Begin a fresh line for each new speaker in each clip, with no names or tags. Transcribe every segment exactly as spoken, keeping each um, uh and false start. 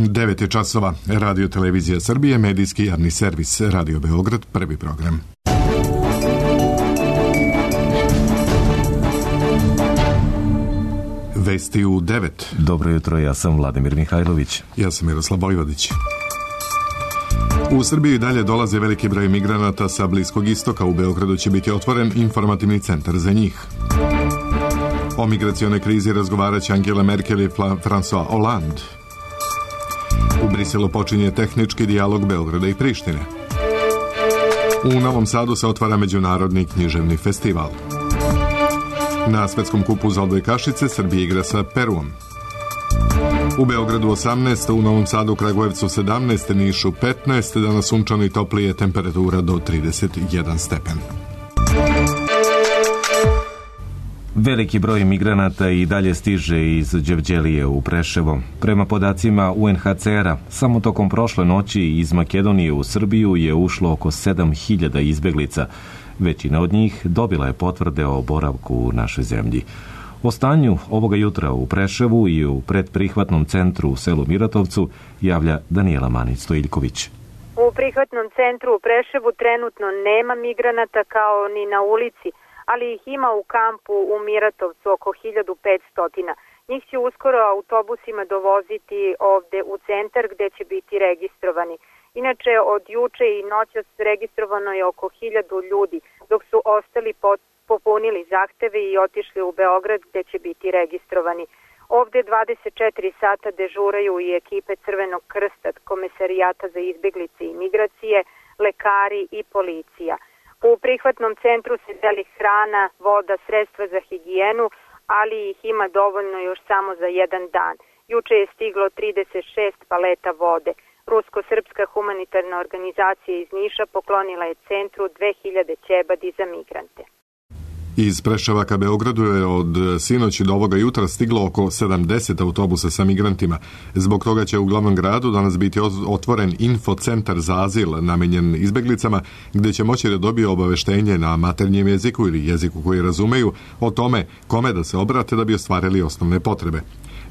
devet je časova. Radio Televizija Srbije, medijski javni servis Radio Beograd, prvi program. Vesti u devet.
Dobro jutro, ja sam Vladimir Mihajlović.
Ja sam Miroslav Vojvodić. U Srbiji dalje dolaze veliki broj migranata sa Bliskog istoka. U Beogradu će biti otvoren informativni centar za njih. O migracionoj krizi razgovarat će Angela Merkel i François Hollande. U Briselu počinje tehnički dijalog Beograda i Prištine. U Novom Sadu se otvara Međunarodni književni festival. Na svetskom kupu za odbojkašice Srbija igra sa Peruom. U Beogradu osamnaest, u Novom Sadu, Kragujevcu sedamnaest, Nišu petnaest, danas sunčano i toplije, temperatura do trideset jedan stepen.
Veliki broj migranata i dalje stiže iz Đevđelije u Preševo. Prema podacima U N H C R-a, samo tokom prošle noći iz Makedonije u Srbiju je ušlo oko sedam hiljada izbeglica. Većina od njih dobila je potvrde o boravku u našoj zemlji. O stanju ovoga jutra u Preševu i u predprihvatnom centru u selu Miratovcu javlja Danijela Manić-Stojiljković.
U prihvatnom centru u Preševu trenutno nema migranata kao ni na ulici, ali ih ima u kampu u Miratovcu oko hiljadu petsto. Njih će uskoro autobusima dovoziti ovde u centar gde će biti registrovani. Inače, od juče i noćas registrovano je oko hiljadu ljudi, dok su ostali popunili zahteve i otišli u Beograd gde će biti registrovani. Ovde dvadeset četiri sata dežuraju i ekipe Crvenog krsta, Komesarijata za izbeglice i migracije, lekari i policija. U prihvatnom centru se deli hrana, voda, sredstva za higijenu, ali ih ima dovoljno još samo za jedan dan. Juče je stiglo trideset šest paleta vode. Rusko-srpska humanitarna organizacija iz Niša poklonila je centru dve hiljade ćebadi za migrante.
Iz Preševa ka Beogradu je od sinoći do ovoga jutra stiglo oko sedamdeset autobusa sa migrantima. Zbog toga će u glavnom gradu danas biti otvoren infocentar za azil namenjen izbeglicama, gde će moći da dobiju obaveštenje na maternjem jeziku ili jeziku koji razumeju o tome kome da se obrate da bi ostvarili osnovne potrebe.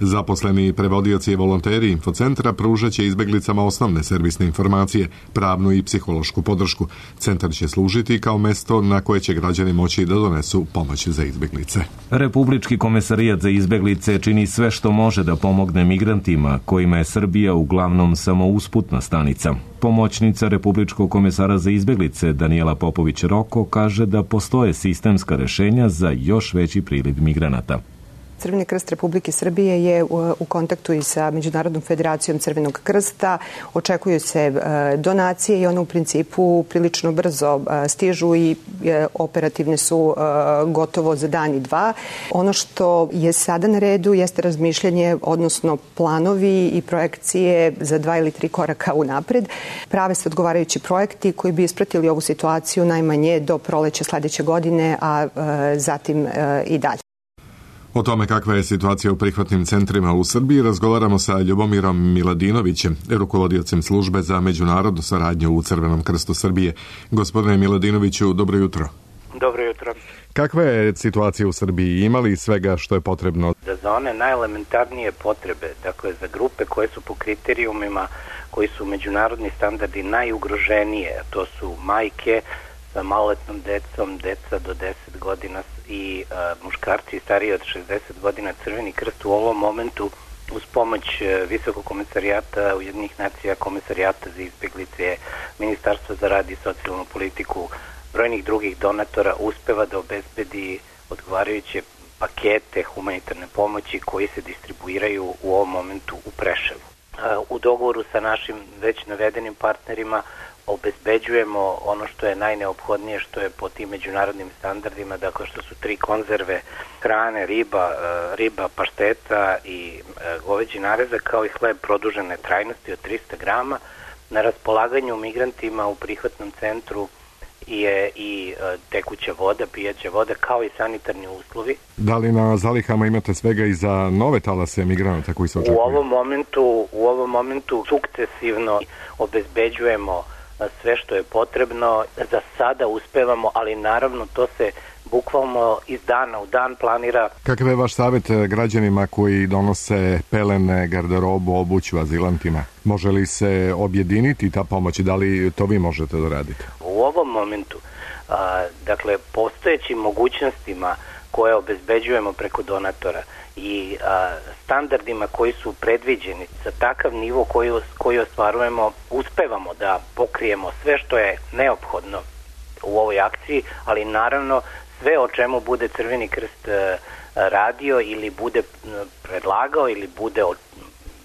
Zaposleni prevodioci i volonteri infocentra pružat će izbeglicama osnovne servisne informacije, pravnu i psihološku podršku. Centar će služiti kao mesto na koje će građani moći da donesu pomoć za izbeglice.
Republički komesarijat za izbeglice čini sve što može da pomogne migrantima, kojima je Srbija uglavnom samo usputna stanica. Pomoćnica Republičkog komesara za izbeglice Danijela Popović-Roko kaže da postoje sistemska rešenja za još veći priliv migranata.
Crveni krst Republike Srbije je u kontaktu i sa Međunarodnom federacijom Crvenog krsta. Očekuju se donacije i one u principu prilično brzo stižu i operativne su gotovo za dan i dva. Ono što je sada na redu jeste razmišljanje, odnosno planovi i projekcije za dva ili tri koraka unapred. Prave se odgovarajući projekti koji bi ispratili ovu situaciju najmanje do proleća sledeće godine, a zatim i dalje.
O tome kakva je situacija u prihvatnim centrima u Srbiji razgovaramo sa Ljubomirom Miladinovićem, rukovodiocem službe za međunarodnu saradnju u Crvenom krstu Srbije. Gospodine Miladinoviću, dobro jutro.
Dobro jutro.
Kakva je situacija u Srbiji? Ima li svega što je potrebno?
Da za one najelementarnije potrebe, dakle za grupe koje su po kriterijumima, koji su međunarodni standardi najugroženije, to su majke sa maloletnom decom, deca do deset godina i uh, muškarci stariji od šezdeset godina, Crveni krst u ovom momentu uz pomoć uh, Visokog komesarijata Ujedinjenih nacija, Komesarijata za izbeglice, Ministarstva za rad i socijalnu politiku, brojnih drugih donatora uspeva da obezbedi odgovarajuće pakete humanitarne pomoći koji se distribuiraju u ovom momentu u Preševu. Uh, u dogovoru sa našim već navedenim partnerima obezbeđujemo ono što je najneophodnije, što je po tim međunarodnim standardima, dakle što su tri konzerve hrane, riba, riba pašteta i goveđi narezak, kao i hleb produžene trajnosti od trista grama. Na raspolaganju migrantima u prihvatnom centru je i tekuća voda, pijaća voda, kao i sanitarni uslovi.
Da li na zalihama imate svega i za nove talase migranata koji se očekuju?
U ovom momentu, u ovom momentu sukcesivno obezbeđujemo sve što je potrebno. Za sada uspevamo, ali naravno to se bukvalno iz dana u dan planira.
Kakav je vaš savjet građanima koji donose pelene, garderobu, obuću azilantima? Može li se objediniti ta pomoć? Da li to vi možete da radite?
U ovom momentu, a, dakle, postojećim mogućnostima koje obezbeđujemo preko donatora i a, standardima koji su predviđeni za takav nivo koji, koji ostvarujemo, uspevamo da pokrijemo sve što je neophodno u ovoj akciji, ali naravno sve o čemu bude Crveni krst a, radio ili bude predlagao ili bude od,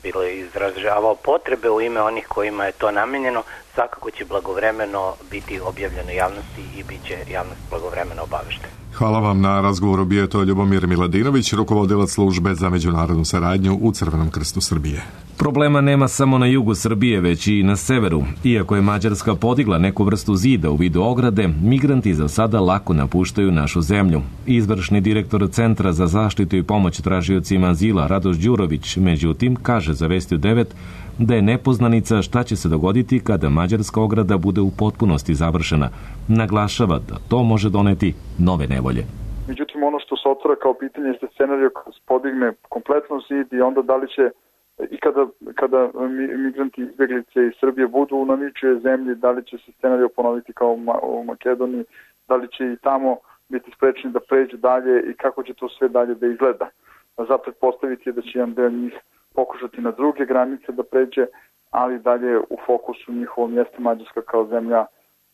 bilo izražavao potrebe u ime onih kojima je to namenjeno, svakako će blagovremeno biti objavljeno javnosti i bit će javnost blagovremeno obaveštena.
Hvala vam na razgovoru. Bio je to Ljubomir Miladinović, rukovodilac službe za međunarodnu saradnju u Crvenom krstu Srbije.
Problema nema samo na jugu Srbije, već i na severu. Iako je Mađarska podigla neku vrstu zida u vidu ograde, migranti za sada lako napuštaju našu zemlju. Izvršni direktor Centra za zaštitu i pomoć tražiocima azila Radoš Đurović, međutim, kaže za Vesti u devet da je nepoznanica šta će se dogoditi kada mađarska ograda bude u potpunosti završena. Naglašava da to može doneti nove nevolje.
Međutim, ono što se otvara kao pitanje je scenario kada se podigne kompletno zid i onda da li će i kada, kada migranti izbjeglice iz Srbije budu na ničijoj zemlji, da li će se scenario ponoviti kao u Makedoniji, da li će i tamo biti sprečeni da pređu dalje i kako će to sve dalje da izgleda. Za pretpostaviti je da će jedan deo njih pokušati na druge granice da pređe, ali dalje u fokusu njihovom jeste Mađarska kao zemlja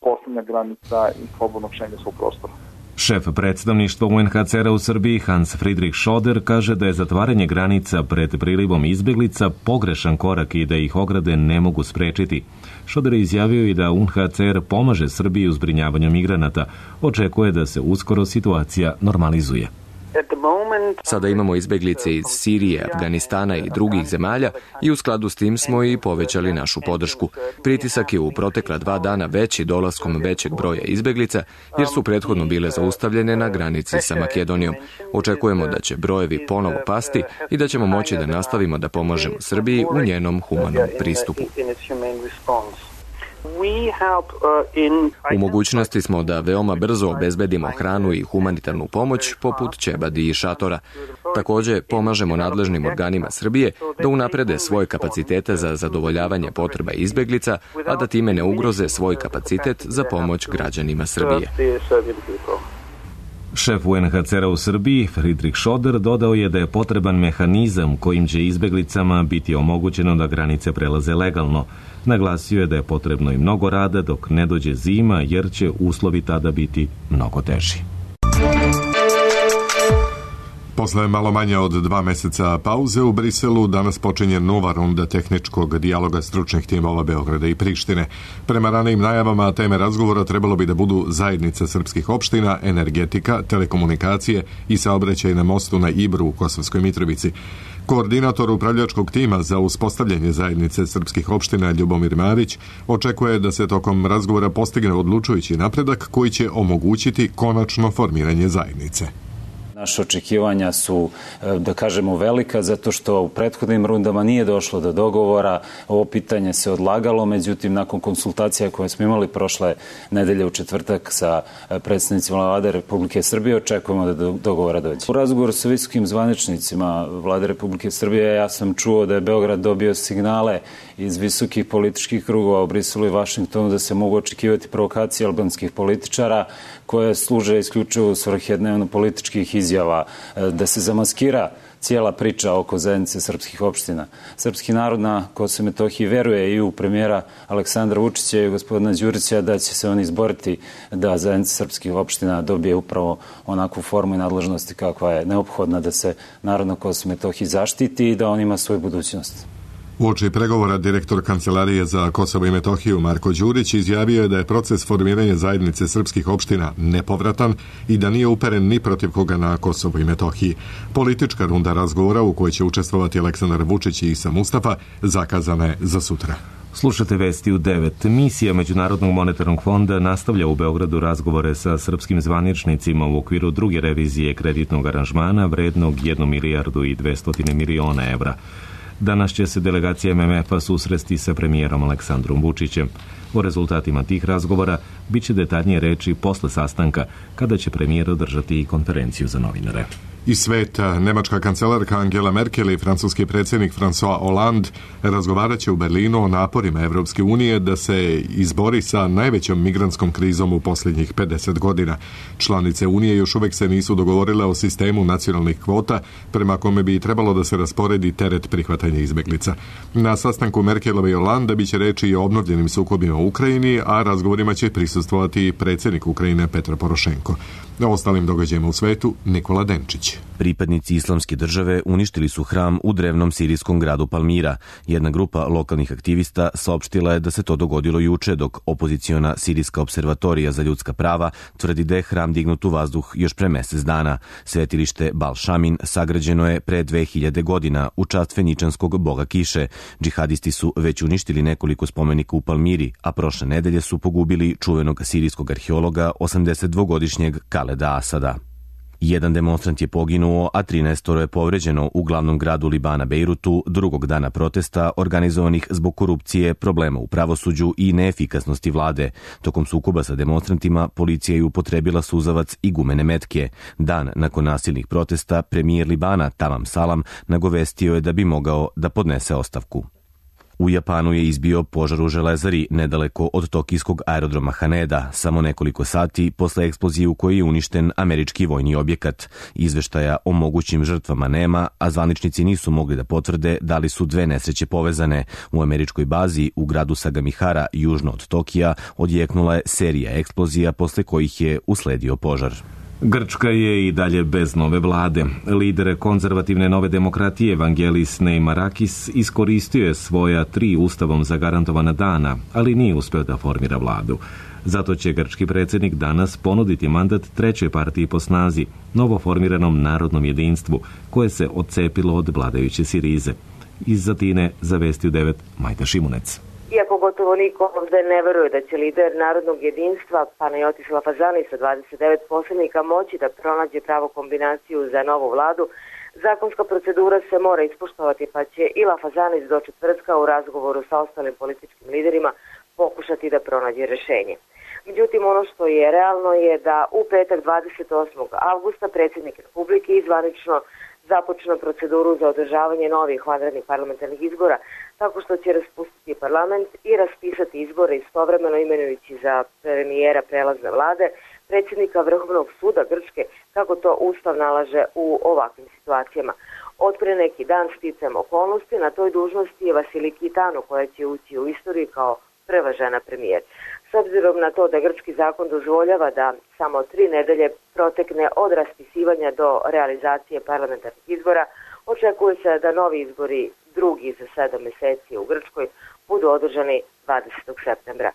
poslednja granica i slobodnog šengenskog prostora.
Šef predstavništva U N H C R-a u Srbiji Hans Friedrich Schoder kaže da je zatvaranje granica pred prilivom izbeglica pogrešan korak i da ih ograde ne mogu sprečiti. Schoder je izjavio i da U N H C R pomaže Srbiji u zbrinjavanju migranata. Očekuje da se uskoro situacija normalizuje.
Sada imamo izbeglice iz Sirije, Afganistana i drugih zemalja i u skladu s tim smo i povećali našu podršku. Pritisak je u protekla dva dana veći dolaskom većeg broja izbeglica jer su prethodno bile zaustavljene na granici sa Makedonijom. Očekujemo da će brojevi ponovo pasti i da ćemo moći da nastavimo da pomažemo Srbiji u njenom humanom pristupu. U mogućnosti smo da veoma brzo obezbedimo hranu i humanitarnu pomoć poput ćebadi i šatora. Takođe, pomažemo nadležnim organima Srbije da unaprede svoje kapacitete za zadovoljavanje potreba izbeglica, a da time ne ugroze svoj kapacitet za pomoć građanima Srbije.
Šef U N H C R-a u Srbiji, Friedrich Schoder, dodao je da je potreban mehanizam kojim će izbeglicama biti omogućeno da granice prelaze legalno. Naglasio je da je potrebno i mnogo rada dok ne dođe zima, jer će uslovi tada biti mnogo teži.
Posle malo manje od dva meseca pauze u Briselu danas počinje nova runda tehničkog dijaloga stručnih timova Beograda i Prištine. Prema ranijim najavama teme razgovora trebalo bi da budu zajednica srpskih opština, energetika, telekomunikacije i saobraćaj na mostu na Ibru u Kosovskoj Mitrovici. Koordinator upravljačkog tima za uspostavljanje zajednice srpskih opština Ljubomir Marić očekuje da se tokom razgovora postigne odlučujući napredak koji će omogućiti konačno formiranje zajednice.
Naše očekivanja su, da kažemo, velika, zato što u prethodnim rundama nije došlo do dogovora. Ovo pitanje se odlagalo, međutim, nakon konsultacija koje smo imali prošle nedelje u četvrtak sa predstavnicima Vlade Republike Srbije, očekujemo da do dogovora dođe. U razgovoru sa visokim zvaničnicima Vlade Republike Srbije ja sam čuo da je Beograd dobio signale iz visokih političkih krugova u Briselu i Vašingtonu da se mogu očekivati provokacije albanskih političara koje služe isključivo u svrhe dnevno političkih izjava, da se zamaskira cijela priča oko zajednice srpskih opština. Srpski narod na Kosovu i Metohiji veruje i u premijera Aleksandra Vučića i gospodina Đurića da će se oni izboriti da zajednica srpskih opština dobije upravo onakvu formu i nadležnosti kakva je neophodna da se narod na Kosovu i Metohiji zaštiti i da on ima svoju budućnost.
Uoči pregovora direktor Kancelarije za Kosovo i Metohiju Marko Đurić izjavio je da je proces formiranja zajednice srpskih opština nepovratan i da nije uperen ni protiv koga na Kosovo i Metohiji. Politička runda razgovora u kojoj će učestvovati Aleksandar Vučić i Isa Mustafa zakazana je za sutra.
Slušate Vesti u devet. Misija Međunarodnog monetarnog fonda nastavlja u Beogradu razgovore sa srpskim zvaničnicima u okviru druge revizije kreditnog aranžmana vrednog jednu milijardu i dvesta miliona evra. Danas će se delegacija M M F-a susresti sa premijerom Aleksandrom Vučićem. O rezultatima tih razgovora bit će detaljnije reči posle sastanka, kada će premijer održati i konferenciju za novinare.
Iz sveta, nemačka kancelarka Angela Merkel i francuski predsjednik François Hollande razgovarat će u Berlinu o naporima Evropske unije da se izbori sa najvećom migrantskom krizom u posljednjih pedeset godina. Članice Unije još uvek se nisu dogovorile o sistemu nacionalnih kvota, prema kome bi trebalo da se rasporedi teret prihvatanja izbeglica. Na sastanku Merkelove i Hollande biće reči i o obnovljenim sukobima u Ukrajini, a razgovorima će prisustvovati predsjednik Ukrajine Petro Porošenko. O ostalim događajima u svetu Nikola Denčić.
Pripadnici islamske države uništili su hram u drevnom sirijskom gradu Palmira. Jedna grupa lokalnih aktivista saopštila je da se to dogodilo juče, dok opoziciona Sirijska observatorija za ljudska prava tvrdi da je hram dignut u vazduh još pre mesec dana. Svetilište Bal Šamin sagrađeno je pre dve hiljade godina u čast feničanskog boga kiše. Džihadisti su već uništili nekoliko spomenika u Palmiri, a prošle nedelje su pogubili čuvenog sirijskog arheologa osamdesetdvogodišnjeg Kaleda Asada. Jedan demonstrant je poginuo, a trinaestoro je povređeno u glavnom gradu Libana Bejrutu drugog dana protesta organizovanih zbog korupcije, problema u pravosuđu i neefikasnosti vlade. Tokom sukoba sa demonstrantima policija je upotrebila suzavac i gumene metke. Dan nakon nasilnih protesta premijer Libana Tamam Salam nagovestio je da bi mogao da podnese ostavku. U Japanu je izbio požar u železari nedaleko od tokijskog aerodroma Haneda, samo nekoliko sati posle eksplozije u kojoj je uništen američki vojni objekat. Izveštaja o mogućim žrtvama nema, a zvaničnici nisu mogli da potvrde da li su dve nesreće povezane. U američkoj bazi u gradu Sagamihara, južno od Tokija, odjeknula je serija eksplozija posle kojih je usledio požar.
Grčka je i dalje bez nove vlade. Lider konzervativne nove demokratije Vangelis Neimarakis iskoristio je svoja tri ustavom zagarantovana dana, ali nije uspeo da formira vladu. Zato će grčki predsjednik danas ponuditi mandat trećoj partiji po snazi, novoformiranom Narodnom jedinstvu, koje se odcepilo od vladajuće Sirize. Iz Atine zavestio devet Majda Šimunec.
Iako gotovo niko ovde ne veruje da će lider Narodnog jedinstva Panajotis Lafazani sa dvadeset devet poslanika moći da pronađe pravu kombinaciju za novu vladu, zakonska procedura se mora ispoštovati, pa će i Lafazanis do četvrtka u razgovoru sa ostalim političkim liderima pokušati da pronađe rešenje. Međutim, ono što je realno je da u petak dvadeset osmog avgusta predsjednik Republike izvanično započne proceduru za održavanje novih vanrednih parlamentarnih izbora, tako što će raspustiti parlament i raspisati izbore istovremeno imenujući za premijera prelazne vlade, predsjednika Vrhovnog suda Grčke, kako to Ustav nalaže u ovakvim situacijama. Od pre neki dan sticajem okolnosti na toj dužnosti je Vasiliki Tano, koja će ući u istoriju kao prva žena premijer. S obzirom na to da grčki zakon dozvoljava da samo tri nedelje protekne od raspisivanja do realizacije parlamentarnih izbora, očekuje se da novi izbori, drugi za sedam meseci u Grčkoj, budu održani dvadesetog septembra.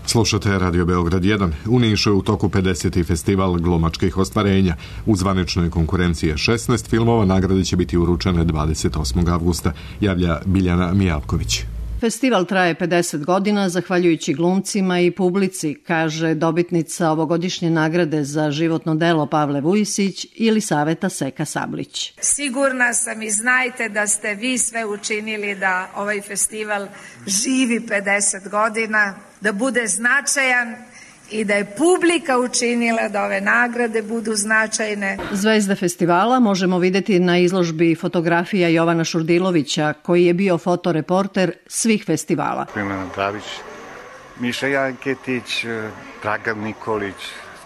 Slušate Radio Beograd jedan. U Nišu je u toku pedeseti festival glumačkih ostvarenja. U zvaničnoj konkurenciji je šesnaest filmova, nagrade će biti uručene dvadeset osmog avgusta, javlja Biljana Mijalković.
Festival traje pedeset godina zahvaljujući glumcima i publici, kaže dobitnica ovogodišnje nagrade za životno delo Pavle Vujisić ili Saveta Seka Sablić.
Sigurna sam i znajte da ste vi sve učinili da ovaj festival živi pedeset godina, da bude značajan i da je publika učinila da ove nagrade budu značajne.
Zvezde festivala možemo videti na izložbi fotografija Jovana Šurdilovića, koji je bio fotoreporter svih festivala.
Milena Dravić, Miša Janketić, Dragan Nikolić,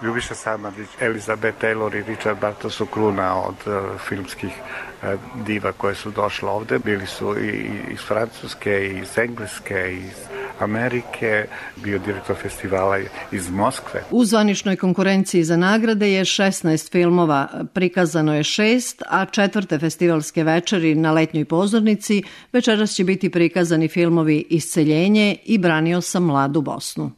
Ljubiša Samardžić, Elizabeth Taylor i Richard Barton su kruna od uh, filmskih uh, diva koje su došle ovde. Bili su i iz Francuske, i iz Engleske, i iz Amerike, bio direktor festivala iz Moskve.
U zvaničnoj konkurenciji za nagrade je šesnaest filmova, prikazano je šest, a četvrte festivalske večeri na letnjoj pozornici večeras će biti prikazani filmovi Isceljenje i Branio sam mladu Bosnu.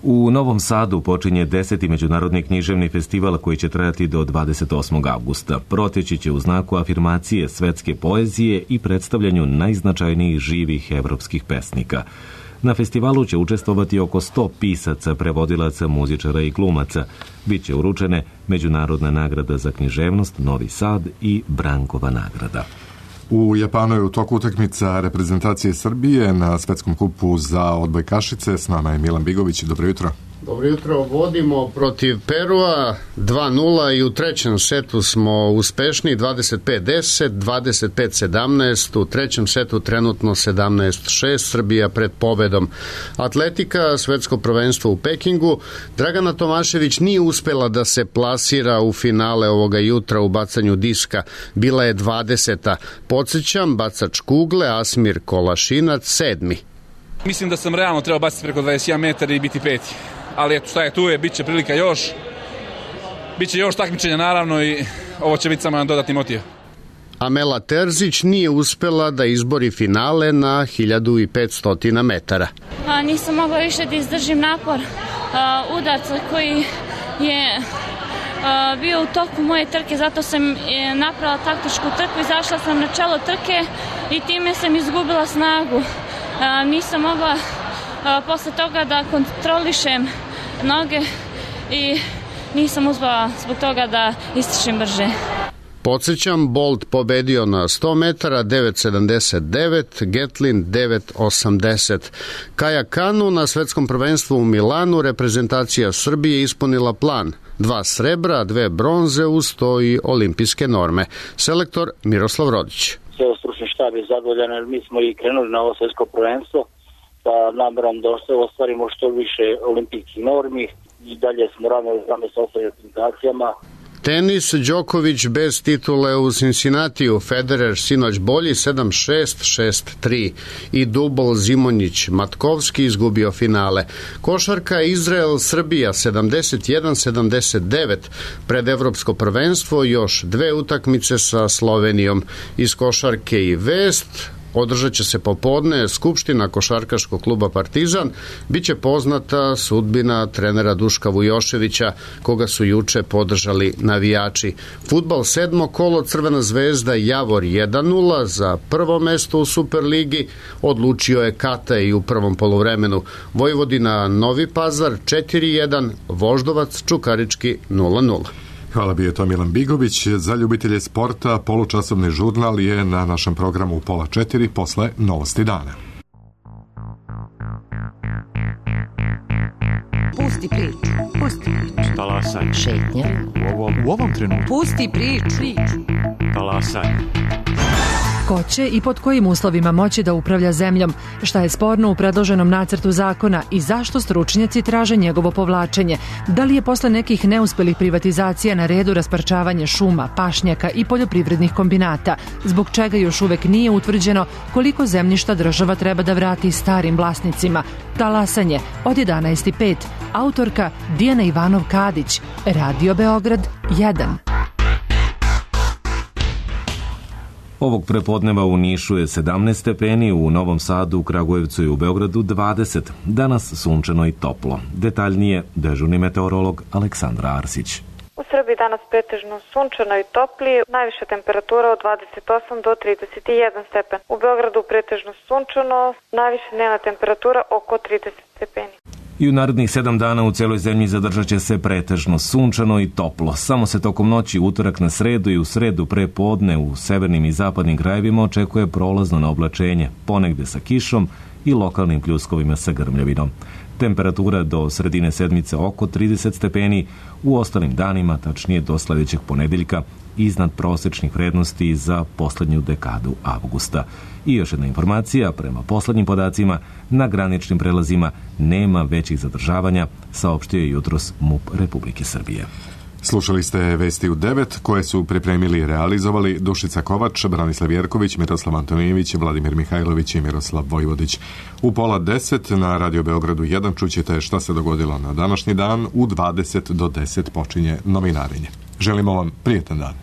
U Novom Sadu počinje deseti međunarodni književni festival koji će trajati do dvadeset osmog avgusta. Proteći će u znaku afirmacije svetske poezije i predstavljanju najznačajnijih živih evropskih pesnika. Na festivalu će učestvovati oko sto pisaca, prevodilaca, muzičara i glumaca. Biće uručene Međunarodna nagrada za književnost Novi Sad i Brankova nagrada.
U Japanu je u toku utakmica reprezentacije Srbije na svetskom kupu za odbojkašice. S nama je Milan Bigović. Dobro jutro.
Dobro jutro, vodimo protiv Perua dva nula i u trećem setu smo uspešni, dvadeset pet deset, dvadeset pet sedamnaest, u trećem setu trenutno sedamnaest šest, Srbija pred pobedom. Atletika, svetsko prvenstvo u Pekingu, Dragana Tomašević nije uspela da se plasira u finale ovoga jutra u bacanju diska, bila je dvadeseta. Podsjećam, bacač kugle Asmir Kolašinac sedmi.
Mislim da sam realno trebao baciti preko dvadeset jedan metara i biti peti. Ali eto šta je tu je, bit će prilika još, bit će još takmičenja naravno i ovo će biti samo jedan dodatni motiv.
Amela Terzić nije uspela da izbori finale na hiljadu petsto metara.
A, nisam mogla više da izdržim napor a, udarca koji je a, bio u toku moje trke, zato sam je, napravila taktičku trku, izašla sam na čelo trke i time sam izgubila snagu. A, nisam mogla a, posle toga da kontrolišem noge i nisam uspela zbog toga da ističem brže.
Podsjećam, Bolt pobedio na sto metara, devet sedamdeset devet, Getlin devet osamdeset. Kaja Kanu na svetskom prvenstvu u Milanu reprezentacija Srbije ispunila plan. Dva srebra, dve bronze uz to i olimpijske norme. Selektor Miroslav Rodić.
Ceo stručni štab je zadovoljan jer mi smo i krenuli na ovo svetsko prvenstvo sa namerom da ostvarimo što više olimpijskih normi i dalje smo ravnali zame sa ostalim reprezentacijama.
Tenis, Đoković bez titule u Cincinnatiju, Federer sinoć bolji sedam šest, šest tri i dubl Zimonjić Matkovski izgubio finale. Košarka Izrael Srbija sedamdeset jedan sedamdeset devet, pred evropsko prvenstvo još dve utakmice sa Slovenijom. Iz košarke i vest, održat će se popodne skupština košarkaškog kluba Partizan, biće poznata sudbina trenera Duška Vujoševića, koga su juče podržali navijači. Fudbal sedmo kolo, Crvena zvezda Javor jedan nula, za prvo mesto u Superligi odlučio je Kata i u prvom poluvremenu. Vojvodina Novi Pazar četiri jedan, Voždovac Čukarički nula nula.
Hvala, bio je to Milan Bigović. Za ljubitelje sporta polučasovni žurnal je na našem programu u pola četiri posle novosti dana.
Pusti priču, pusti priču.
Talasaj.
Šetnja.
U ovom, u ovom trenutku.
Pusti priču. priču.
Talasaj.
Ko će i pod kojim uslovima moći da upravlja zemljom, šta je sporno u predloženom nacrtu zakona i zašto stručnjaci traže njegovo povlačenje, da li je posle nekih neuspelih privatizacija na redu rasparčavanje šuma, pašnjaka i poljoprivrednih kombinata, zbog čega još uvek nije utvrđeno koliko zemljišta država treba da vrati starim vlasnicima. Talasanje od jedanaest i pet, autorka Dijana Ivanov-Kadić, Radio Beograd jedan.
Ovog prepodneva u Nišu je sedamnaest stepeni, u Novom Sadu, u Kragujevcu i u Beogradu dvadeset. Danas sunčano i toplo. Detaljnije dežurni meteorolog Aleksandra Arsić.
U Srbiji danas pretežno sunčano i toplije, najviša temperatura od dvadeset osam do trideset jedan stepen. U Beogradu pretežno sunčano, najviša dnevna temperatura oko trideset stepeni.
I u narednih sedam dana u celoj zemlji zadržat će se pretežno sunčano i toplo. Samo se tokom noći utorak na sredu i u sredu pre podne u severnim i zapadnim krajevima očekuje prolazno na oblačenje, ponegde sa kišom i lokalnim pljuskovima sa grmljavinom. Temperatura do sredine sedmice oko trideset stepeni, u ostalim danima, tačnije do sledećeg ponedeljka, iznad prosečnih vrednosti za poslednju dekadu avgusta. I još jedna informacija, prema poslednjim podacima, na graničnim prelazima nema većih zadržavanja, saopštio je jutros MUP Republike Srbije.
Slušali ste vesti u devet koje su pripremili i realizovali Dušica Kovač, Branislav Jerković, Miroslav Antonijević, Vladimir Mihajlović i Miroslav Vojvodić. U pola deset na Radio Beogradu jedan čućete šta se dogodilo na današnji dan. U dvadeset do deset počinje novinarenje. Želimo vam prijetan dan.